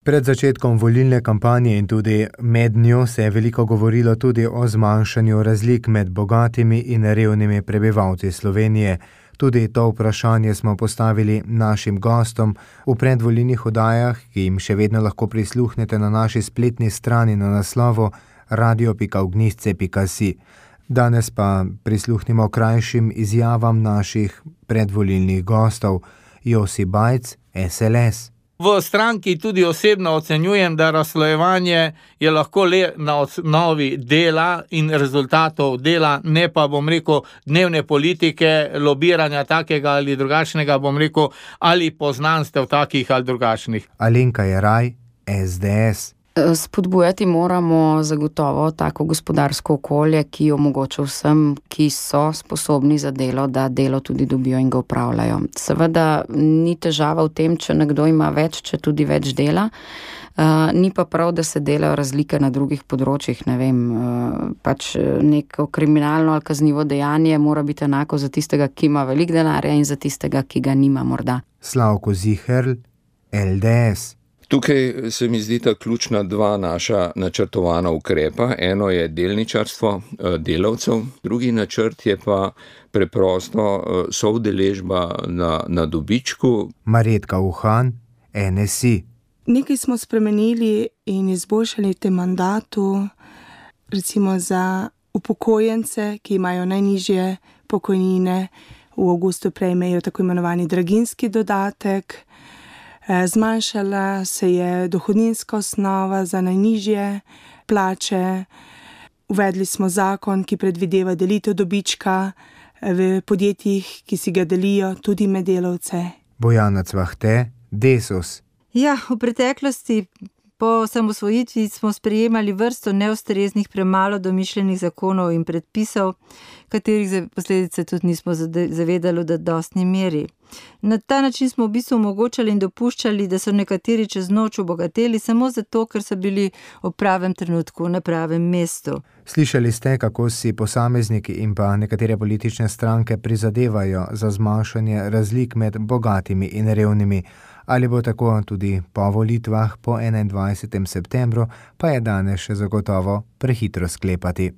Pred začetkom volilne kampanje in tudi med njo se je veliko govorilo tudi o zmanjšanju razlik med bogatimi in revnimi prebivalci Slovenije. Tudi to vprašanje smo postavili našim gostom v predvolilnih oddajah, ki jim še vedno lahko prisluhnete na naši spletni strani na naslovu radio.ognjišče.si. Danes pa prisluhnimo krajšim izjavam naših predvolilnih gostov. Josi Bajc, SLS. V stranki tudi osebno ocenjujem, da razslojevanje je lahko le na osnovi dela in rezultatov dela, ne pa, dnevne politike, lobiranja takega ali drugačnega, ali poznanstev takih ali drugačnih. Alenka Jeraj, SDS. Spodbujati moramo zagotovo tako gospodarsko okolje, ki omogoča vsem, ki so sposobni za delo, da delo tudi dobijo in ga opravljajo. Seveda ni težava v tem, če nekdo ima več, če tudi več dela. Ni pa prav, da se delajo razlike na drugih področjih, neko kriminalno ali kaznivo dejanje mora biti enako za tistega, ki ima veliko denarja in za tistega, ki ga nima morda. Slavko Ziherl, LDS. Tukaj se mi zdita ključna dva naša načrtovana ukrepa. Eno je delničarstvo delavcev, drugi načrt je pa preprosto soudeležba na dobičku. Marjetka Uhan, NSI. Nekaj smo spremenili in izboljšali v tem mandatu, recimo za upokojence, ki imajo najnižje pokojnine, v avgustu prejmejo tako imenovani draginjski dodatek. Zmanjšala se je dohodninska osnova za najnižje plače. Uvedli smo zakon, ki predvideva delitev dobička v podjetjih, ki si ga delijo tudi med delavce. Bojana Cvahte, Desus. Ja, v preteklosti po osamosvojitvi smo sprejemali vrsto neustreznih, premalo domišljenih zakonov in predpisov, katerih posledice tudi nismo zavedali v zadostni meri. Na ta način smo v bistvu omogočali in dopuščali, da so nekateri čez noč obogateli samo zato, ker so bili v pravem trenutku na pravem mestu. Slišali ste, kako si posamezniki in pa nekatere politične stranke prizadevajo za zmanjšanje razlik med bogatimi in revnimi. Ali bo tako tudi po volitvah po 21. septembru, pa je danes še zagotovo prehitro sklepati.